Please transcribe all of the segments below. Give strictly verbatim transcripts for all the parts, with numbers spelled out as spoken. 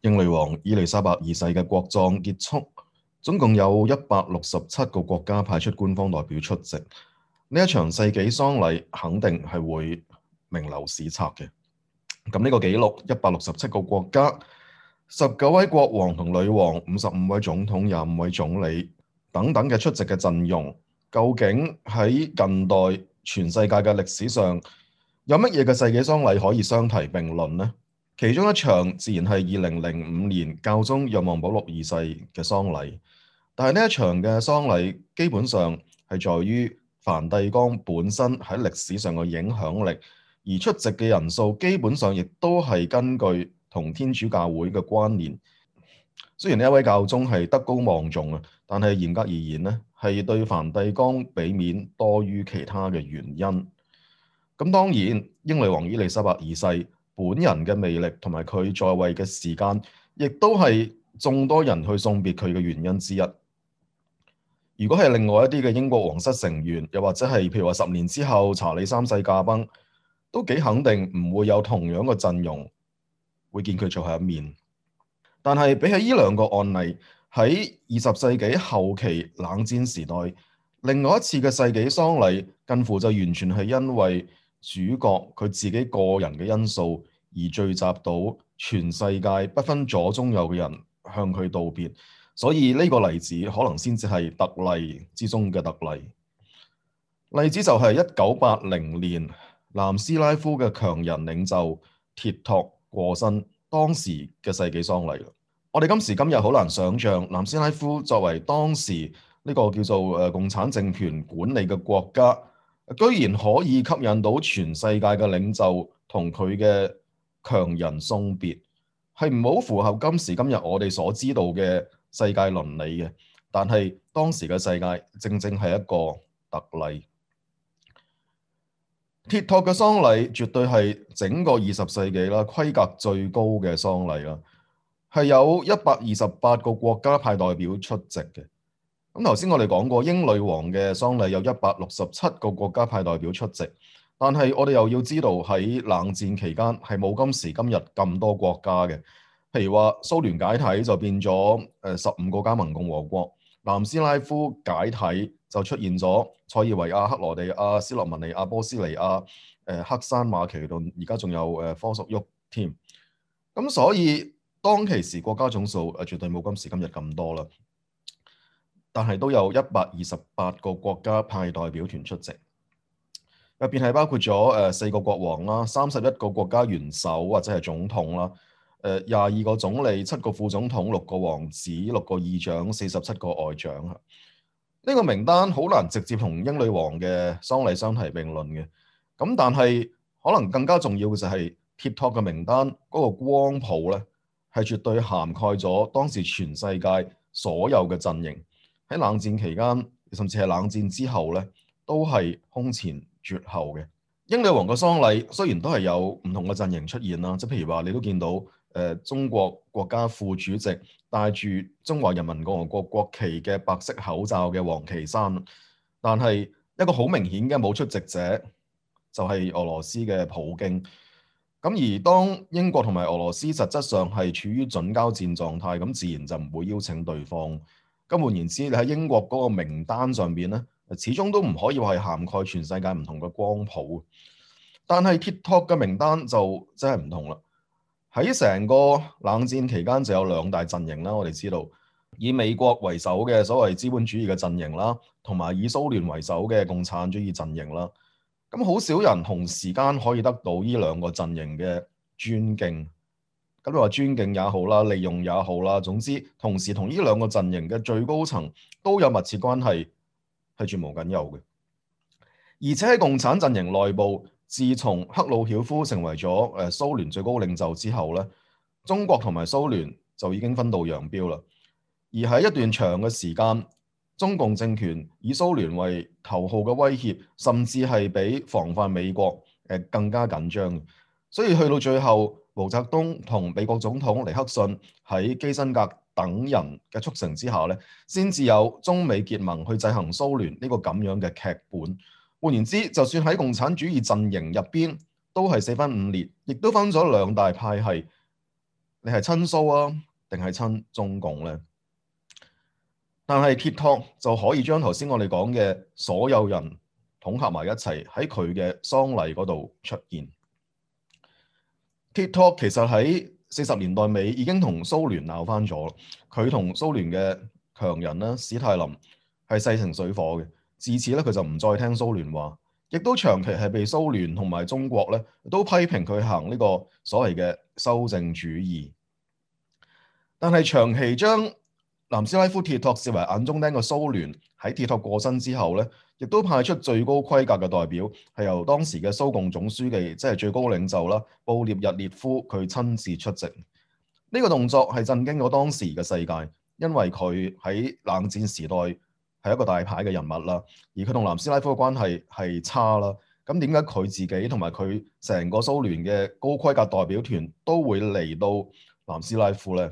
英女王伊麗莎白二世嘅國葬結束，總共有一百六十七個國家派出官方代表出席。呢一場世紀喪禮肯定係會名留史冊嘅。咁呢個紀錄，一百六十七個國家、十九位國王同女王、五十五位總統、廿五位總理等等嘅出席嘅陣容，究竟喺近代全世界嘅歷史上有乜嘢嘅世紀喪禮可以相提並論呢？其中一場自然係二零零五年教宗若望保祿二世嘅喪禮，但係呢一場嘅喪禮基本上係在於梵蒂岡本身喺歷史上嘅影響力，而出席嘅人數基本上亦都係根據同天主教會嘅關聯。雖然呢一位教宗係德高望重啊，但係嚴格而言呢，係對梵蒂岡俾面多於其他嘅原因。咁當然，英女王伊麗莎白二世本人嘅魅力同埋佢在位嘅時間，亦都係眾多人去送別佢嘅原因之一。如果係另外一啲嘅英國皇室成員，又或者係譬如話十年之後查理三世駕崩，都幾肯定唔會有同樣嘅陣容會見佢最後一面。但係比起呢兩個案例，喺二十世紀後期冷戰時代，另外一次嘅世紀喪禮近乎就完全係因為主角佢自己個人嘅因素而聚集到全世界不分左中右嘅人向佢道別，所以呢個例子可能先至係特例之中嘅特例。例子就係一九八零年南斯拉夫嘅強人領袖鐵托過身，當時嘅世紀喪禮。我哋今時今日好難想象南斯拉夫作為當時呢個叫做誒共產政權管理嘅國家，居然可以吸引到全世界嘅領袖同佢嘅強人送別，係唔好符合今時今日我哋所知道嘅世界倫理嘅。但係當時嘅世界正正係一個特例。鐵托嘅喪禮絕對係整個二十世紀啦規格最高嘅喪禮啦，係有一百二十八個國家派代表出席嘅。咁頭先我哋講過，英女王嘅喪禮有一百六十七個國家派代表出席，但係我哋又要知道喺冷戰期間係冇今時今日咁多國家嘅。譬如話蘇聯解體就變咗誒十五個加盟共和國，南斯拉夫解體就出現咗塞爾維亞、克羅地亞、斯洛文尼亞、波斯尼亞、誒黑山馬其頓，而家仲有誒科索沃添。咁所以當其時國家總數誒絕對冇今時今日咁多啦。但係都有一百二十八個國家派代表團出席，入邊係包括咗誒四個國王啦、三十一個國家元首或者係總統啦、誒廿二個總理、七個副總統、六個王子、六個議長、四十七個外長。呢個名單好難直接同英女王嘅喪禮相提並論嘅。咁但係可能更加重要嘅就係鐵托嘅名單嗰個光譜咧，係絕對涵蓋咗當時全世界所有嘅陣營。喺冷戰期間，甚至係冷戰之後咧，都係空前絕後嘅。英女王嘅喪禮雖然都係有唔同嘅陣營出現啦，即係譬如話你都見到誒、呃、中國國家副主席戴住中華人民共和國國旗嘅白色口罩嘅王岐山，但係一個好明顯嘅冇出席者就係俄羅斯嘅普京。咁而當英國同埋俄羅斯實質上係處於準交戰狀態，咁自然就唔會邀請對方。咁換言之，你喺英國嗰個名單上邊咧，始終都唔可以話係涵蓋全世界唔同嘅光譜。但係鐵托嘅名單就真係唔同啦。喺成個冷戰期間就有兩大陣營啦，我哋知道以美國為首嘅所謂資本主義嘅陣營啦，同埋以蘇聯為首嘅共產主義陣營啦。咁好少人同時間可以得到呢兩個陣營嘅尊敬。咁你話尊敬也好啦，利用也好啦，總之同時同呢兩個陣營嘅最高層都有密切關係，係絕無僅有嘅。而且喺共產陣營內部，自從赫魯曉夫成為咗誒蘇聯最高領袖之後咧，中國同埋蘇聯就已經分道揚鑣啦。而喺一段長嘅時間，中共政權以蘇聯為頭號嘅威脅，甚至係比防範美國誒更加緊張。所以去到最後，毛澤東同美國總統尼克遜喺基辛格等人嘅促成之下咧，先至有中美結盟去制衡蘇聯呢個咁樣嘅劇本。換言之，就算喺共產主義陣營入邊，都係四分五裂，亦都分咗兩大派系。你係親蘇啊，定係親中共呢？但係鐵托就可以將頭先我哋講嘅所有人統合埋一齊喺佢嘅喪禮嗰度出現。鐵托其實喺四十年代尾已經同蘇聯鬧翻咗，佢同蘇聯嘅強人啦，史泰林係勢成水火嘅。自此咧，佢就唔再聽蘇聯話，亦都長期係被蘇聯同埋中國咧都批評佢行呢個所謂嘅修正主義。但係長期將南斯拉夫鐵托視為眼中釘嘅蘇聯喺鐵托過身之後咧，亦都派出最高規格嘅代表，係由當時嘅蘇共總書記，即係最高領袖啦，布列日列夫佢親自出席。呢個動作係震驚咗當時嘅世界，因為佢喺冷戰時代係一個大牌嘅人物啦，而佢同南斯拉夫嘅關係係差啦。咁點解佢自己同埋佢成個蘇聯嘅高規格代表團都會嚟到南斯拉夫呢？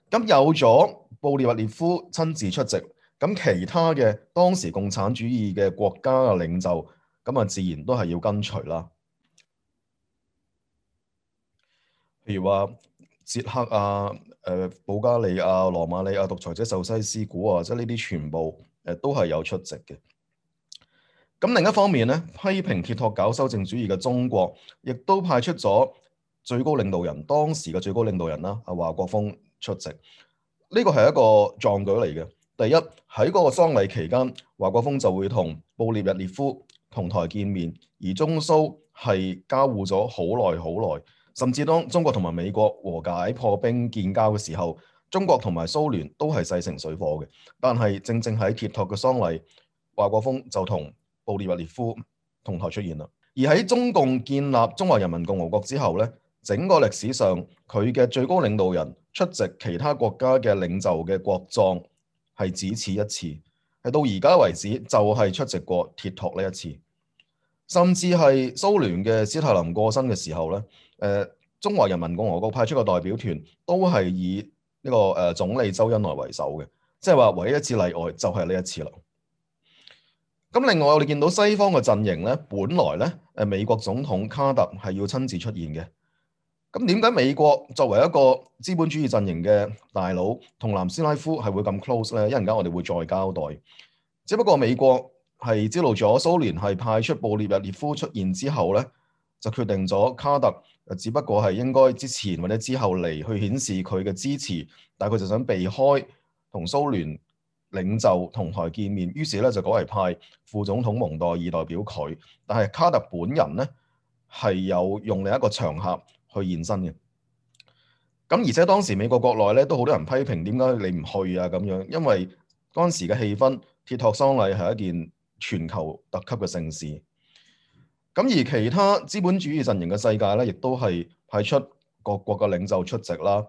咁有咗布列日列夫親自出席，咁其他嘅當時共產主義嘅國家嘅領袖，咁啊自然都係要跟隨啦。譬如話捷克啊、誒、呃、保加利亞、羅馬尼亞獨裁者壽西斯古啊，即係呢啲全部誒都係有出席嘅。咁另一方面咧，批評鐵托搞修正主義嘅中國，亦都派出咗最高領導人，當時嘅最高領導人啦，阿華國鋒出席。呢個係一個壯舉嚟嘅。第一，喺嗰個喪禮期間，華國鋒就會同布列日列夫同台見面，而中蘇係交互咗好耐好耐，甚至當中國同埋美國和解破冰建交嘅時候，中國同埋蘇聯都係勢成水火嘅。但係正正喺鐵托嘅喪禮，華國鋒就同布列日列夫同台出現啦。而喺中共建立中華人民共和國之後咧，整個歷史上佢嘅最高領導人出席其他國家嘅領袖嘅國葬係只此一次，係到而家為止就係出席過鐵托呢一次。甚至係蘇聯嘅史泰林過身嘅時候咧，誒、呃、中華人民共和國派出嘅代表團都係以呢、這個誒、呃、總理周恩來為首嘅，即係話唯一一次例外就係呢一次啦。咁另外我哋見到西方嘅陣營咧，本來咧誒美國總統卡特係要親自出現嘅。咁點解美國作為一個資本主義陣營嘅大佬，同南斯拉夫係會咁 close 咧？一陣間我哋會再交代。只不過美國係知道咗蘇聯係派出布列日列夫出現之後咧，就決定咗卡特只不過係應該之前或者之後嚟去顯示佢嘅支持，但係佢就想避開同蘇聯領袖同台見面，於是咧就改為派副總統蒙代爾代表佢。但係卡特本人咧係有用另一個場合去現身嘅。咁而且當時美國國內咧都好多人批評點解你唔去啊咁樣，因為當時嘅氣氛，鐵托喪禮係一件全球特級嘅盛事。咁而其他資本主義陣營嘅世界咧，亦都係派出各國嘅領袖出席啦。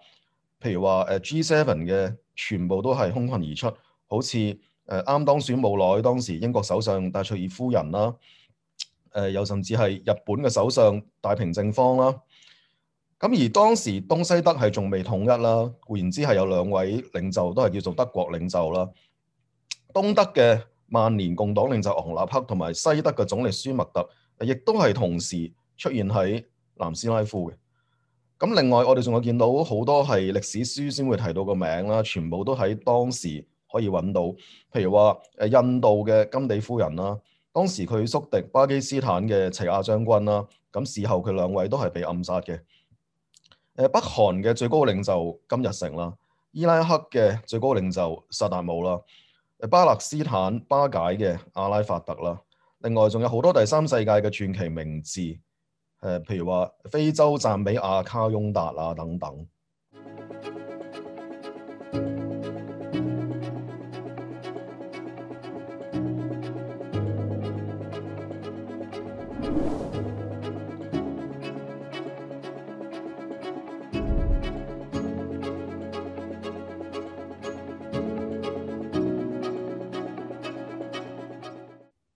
譬如話誒 G 七 嘅全部都係空群而出，好似誒啱當選冇耐當時英國首相戴卓爾夫人啦，誒、呃、又甚至係日本嘅首相大平正方啦。咁而當時東西德係仲未統一啦，換言之係有兩位領袖都係叫做德國領袖啦。東德嘅萬年共黨領袖昂納克同埋西德嘅總理舒默特，亦都係同時出現喺南斯拉夫嘅。咁另外我哋仲有見到好多係歷史書先會提到個名啦，全部都喺當時可以揾到。譬如話誒印度嘅甘地夫人啦，當時佢宿敵巴基斯坦嘅齊亞將軍啦，咁事後佢兩位都係被暗殺嘅。誒北韓嘅最高領袖金日成啦，伊拉克嘅最高領袖薩達姆啦，誒巴勒斯坦巴解嘅阿拉法特啦，另外仲有好多第三世界嘅傳奇名字，誒譬如話非洲贊比亞卡翁達啊等等。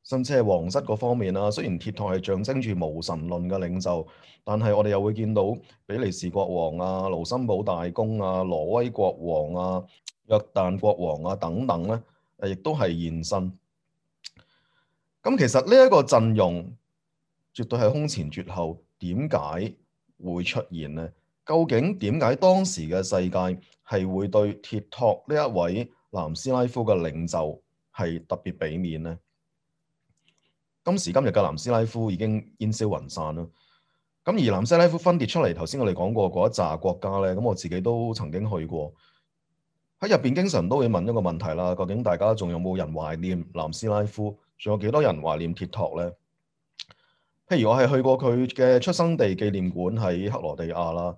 甚至係皇室嗰方面啦，雖然鐵托係象徵住無神論嘅領袖，但係我哋又會見到比利時國王啊、盧森堡大公啊、挪威國王啊、約旦國王啊等等咧，誒亦都係現身。咁其實呢一個陣容絕對係空前絕後，點解會出現呢？究竟點解當時嘅世界係會對鐵托呢一位南斯拉夫嘅領袖係特別俾面呢？今時今日嘅南斯拉夫已經煙消雲散啦。咁而南斯拉夫分裂出嚟，頭先我哋講過嗰一紮國家咧，咁我自己都曾經去過，喺入邊經常都會問一個問題啦，究竟大家仲有冇人懷念南斯拉夫？仲有幾多人懷念鐵托咧？譬如我係去過佢嘅出生地紀念館喺克羅地亞啦，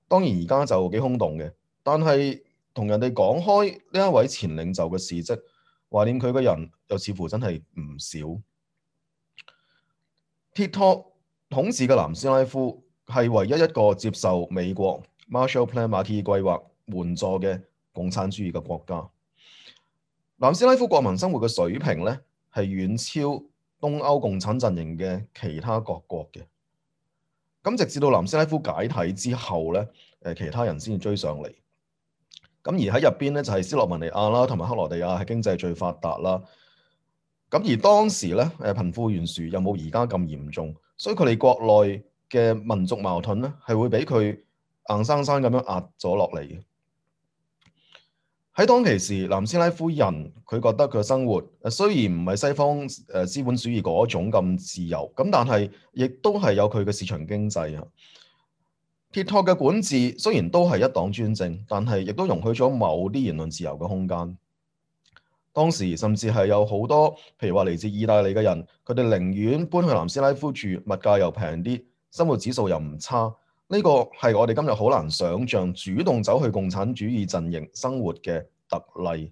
當然而家就幾空洞嘅，但係同人哋講開呢一位前領袖嘅事蹟，懷念佢嘅人又似乎真係唔少。鐵托統治嘅南斯拉夫係唯一一個接受美國 Marshall Plan 馬歇爾計劃援助嘅共產主義嘅國家。南斯拉夫國民生活嘅水平咧係遠超東歐共產陣營嘅其他各國嘅。咁直至到南斯拉夫解體之後咧，誒其他人先至追上嚟。咁而喺入邊咧就係斯洛文尼亞啦，同埋克羅地亞係經濟最發達啦。咁而當時咧誒貧富懸殊又冇而家咁嚴重，所以佢哋國內嘅民族矛盾咧係會俾佢硬生生咁樣壓咗落嚟嘅。喺當其時，南斯拉夫人佢覺得佢嘅生活誒雖然唔係西方誒資本主義嗰種咁自由，咁但係亦都係有佢嘅市場經濟啊。鐵托嘅管治雖然都係一黨專政，但係亦都容許咗某啲言論自由嘅空間。當時甚至係有好多，譬如話嚟自意大利嘅人，佢哋寧願搬去南斯拉夫住，物價又平啲，生活指數又唔差。呢個係我哋今日好難想像主動走去共產主義陣營生活嘅特例。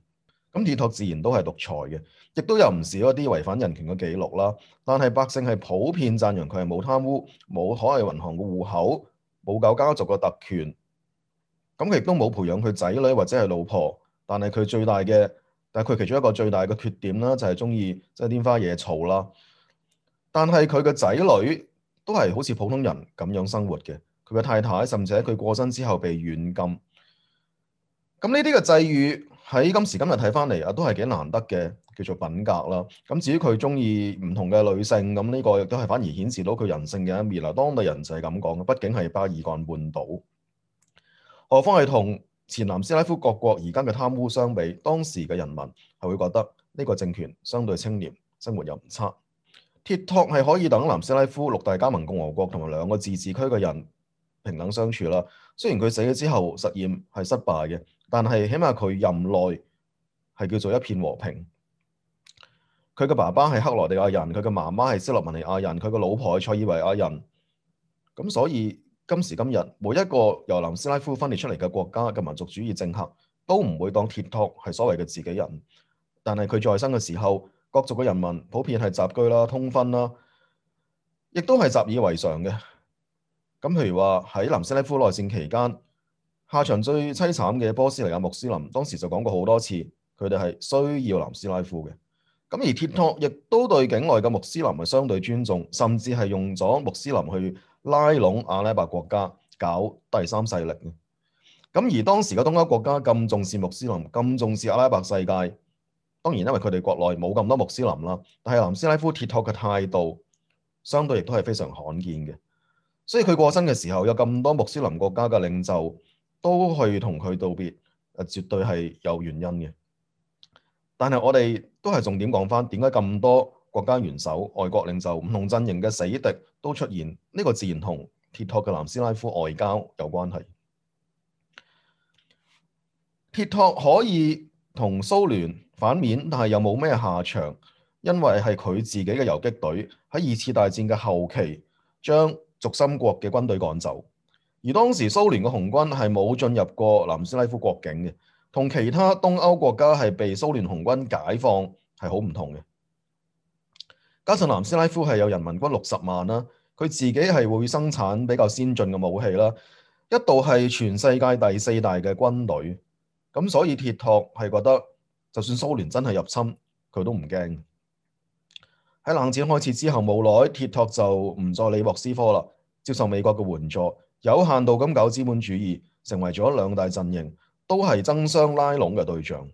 咁鐵托自然都係獨裁嘅，亦都有唔少一啲違反人權嘅記錄啦。但係百姓係普遍讚揚佢係冇貪污、冇海外銀行嘅戶口、冇搞家族嘅特權。咁佢亦都冇培養佢仔女或者係老婆。但係佢最大嘅，但係佢其中一個最大嘅缺點啦，就係中意即係拈花惹草啦。但係佢嘅仔女都係好似普通人咁樣生活嘅。佢嘅太太甚至喺佢過身之後被軟禁。咁呢啲嘅際遇喺今時今日睇翻嚟啊，都係幾難得嘅，叫做品格啦。咁至於佢中意唔同嘅女性，咁呢個亦都係反而顯示到佢人性嘅一面啦。當地人就係咁講嘅，畢竟係巴爾幹半島，何況係同前南斯拉夫各國而家嘅貪污相比，當時嘅人民係會覺得呢個政權相對清廉，生活又唔差。鐵托係可以等南斯拉夫六大加盟共和國同埋兩個自治區嘅人平等相處啦。雖然佢死咗之後實驗係失敗嘅，但係起碼佢任內係叫做一片和平。佢嘅爸爸係克羅地亞人，佢嘅媽媽係斯洛文尼亞人，佢嘅老婆係塞爾維亞人。咁所以今時今日，每一個由南斯拉夫分裂出嚟嘅國家嘅民族主義政客都唔會當鐵托係所謂嘅自己人。但係佢在生嘅時候，各族嘅人民普遍係雜居啦、通婚啦，亦都係習以為常嘅。咁譬如話喺南斯拉夫內戰期間，下場最凄慘嘅波斯尼亞穆斯林，當時就講過好多次，佢哋係需要南斯拉夫嘅。咁而鐵托亦都對境內嘅穆斯林係相對尊重，甚至係用咗穆斯林去拉攏阿拉伯國家搞第三勢力。咁而當時嘅東歐國家咁重視穆斯林，咁重視阿拉伯世界，當然因為佢哋國內冇咁多穆斯林啦，但係南斯拉夫鐵托嘅態度相對亦都係非常罕見嘅。所以佢過身嘅時候，有咁多穆斯林國家嘅領袖都去同佢道別，誒絕對係有原因嘅。但係我哋都係重點講翻，點解咁多國家元首、外國領袖、唔同陣營嘅死敵都出現？呢個自然同鐵托嘅南斯拉夫外交有關係。鐵托可以同蘇聯反面，但係又冇咩下場，因為係佢自己嘅游擊隊喺二次大戰嘅後期將軸心國嘅軍隊趕走，而當時蘇聯嘅紅軍係冇進入過南斯拉夫國境嘅，同其他東歐國家係被蘇聯紅軍解放係好唔同嘅。加上南斯拉夫係有人民軍六十萬啦，佢自己係會生產比較先進嘅武器啦，一度係全世界第四大嘅軍隊，咁所以鐵托係覺得就算蘇聯真係入侵，佢都唔驚。喺冷戰開始之後冇耐，鐵托就唔再理莫斯科啦，接受美國嘅援助，有限度咁搞資本主義，成為咗兩大陣營都係爭相拉攏嘅對象。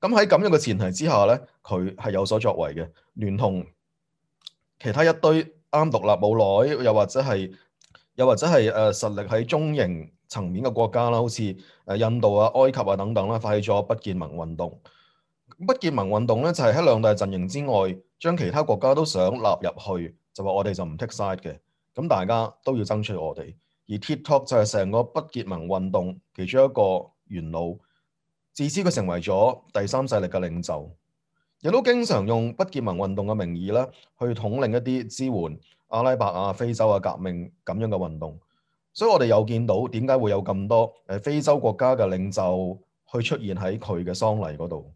咁喺咁樣嘅前提之下咧，佢係有所作為嘅，聯同其他一堆啱獨立冇耐，又或者係又或者係誒、呃、實力喺中型層面嘅國家啦，好似誒印度啊、埃及啊等等啦，發起咗不結盟運動。不結盟運動咧就係喺兩大陣營之外，將其他國家都想納入去，就話我哋就唔 take side 嘅，咁大家都要爭取我哋。而 TikTok 就係成個不結盟運動其中一個元老，自此佢成為咗第三勢力嘅領袖，亦都經常用不結盟運動嘅名義啦，去統領一啲支援阿拉伯啊、非洲啊革命咁樣嘅運動。所以我哋又見到點解會有咁多誒非洲國家嘅領袖去出現喺佢嘅喪禮嗰度。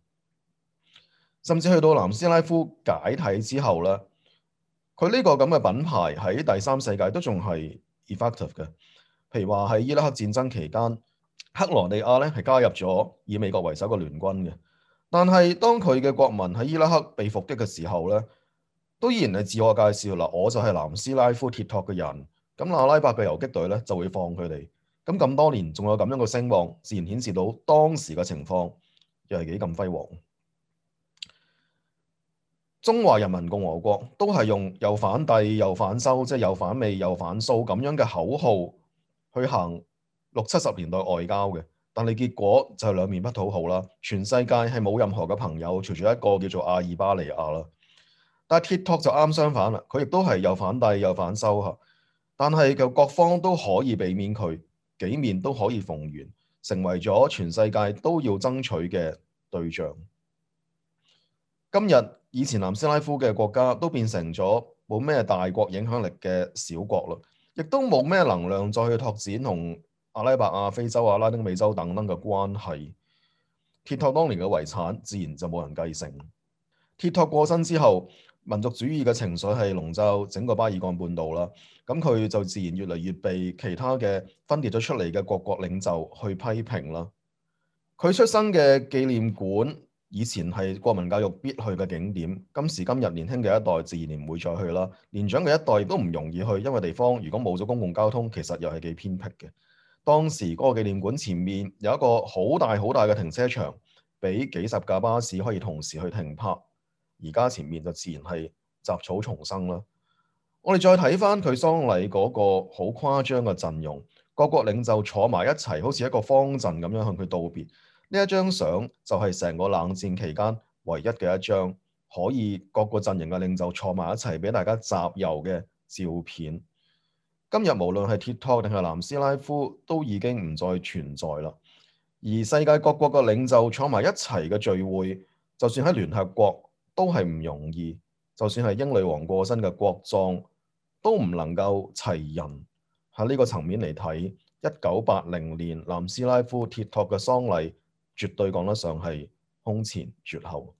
甚至去到南斯拉夫解體之後咧，佢呢個咁嘅品牌喺第三世界都仲係 effective 嘅。譬如話喺伊拉克戰爭期間，克羅地亞咧係加入咗以美國為首嘅聯軍嘅，但係當佢嘅國民喺伊拉克被伏擊嘅時候咧，都依然係自我介紹啦，我就係南斯拉夫鐵托嘅人。咁阿拉伯嘅游擊隊咧就會放佢哋。咁咁多年仲有咁樣嘅聲望，自然顯示到當時嘅情況又係幾咁輝煌。中華人民共和國都係用又反帝又反修，即係又反美又反蘇咁樣嘅口號去行六七十年代外交嘅，但係結果就係兩面不討好啦。全世界係冇任何嘅朋友，除咗一個叫做阿爾巴尼亞啦。但係 TikTok 就啱相反啦，佢亦都係又反帝又反修嚇，但係就各方都可以避免佢，幾面都可以逢源，成為咗全世界都要爭取嘅對象。今日以前南斯拉夫嘅國家都變成咗冇咩大國影響力嘅小國啦，亦都冇咩能量再去拓展同阿拉伯啊、非洲啊、拉丁美洲等等嘅關係。TikTok當年嘅遺產自然就冇人繼承。TikTok過身之後，民族主義嘅情緒係籠罩整個巴爾幹半島啦，咁佢就自然越嚟越被其他嘅分裂咗出嚟嘅各國領袖去批評啦。佢出生嘅紀念館以前係國民教育必去嘅景點，今時今日年輕嘅一代自然唔會再去啦。年長嘅一代亦都唔容易去，因為地方如果冇咗公共交通，其實又係幾偏僻嘅。當時嗰個紀念館前面有一個好大好大嘅停車場，俾幾十架巴士可以同時去停泊。而家前面就自然係雜草叢生啦。我哋再睇翻佢喪禮嗰個好誇張嘅陣容，各國領袖坐埋一齊，好似一個方陣咁樣向佢道別。呢一張相就係成個冷戰期間唯一嘅一張可以各個陣營嘅領袖坐埋一齊俾大家集郵嘅照片。今日無論係TikTok定係南斯拉夫都已經唔再存在啦。而世界各國嘅領袖坐埋一齊嘅聚會，就算喺聯合國都係唔容易，就算係英女王過身嘅國葬都唔能夠齊人。喺呢個層面嚟睇，一九八零年南斯拉夫鐵托嘅喪禮絕對講得上係空前絕後。